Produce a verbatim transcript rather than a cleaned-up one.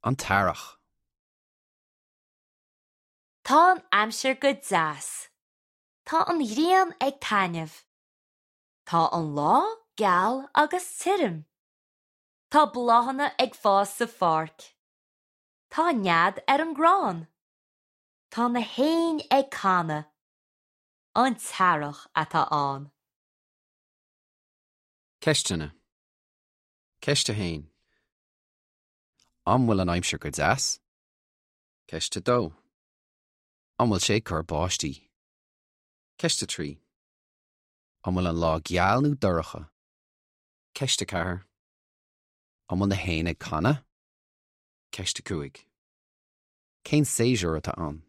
An t-earrach. Tá an aimsir go deas. Tá an ghrian ag taitneamh. Tá an lá geal agus tirim. Tá bláthanna ag fás sa pháirc. Tá nead ar an gcrann. Tá na héin ag canadh. An t-earrach atá ann. Ceisteanna. Ceist a haon. An bhfuil an aimsir go deas? Ceist a dó. An bhfuil sé ag cur báistí? Ceist a trí. An bhfuil an lá geal nó dorcha? Ceist a ceathair. An bhfuil na héin ag canadh? Ceist a cúig. Cén séasúr atá ann?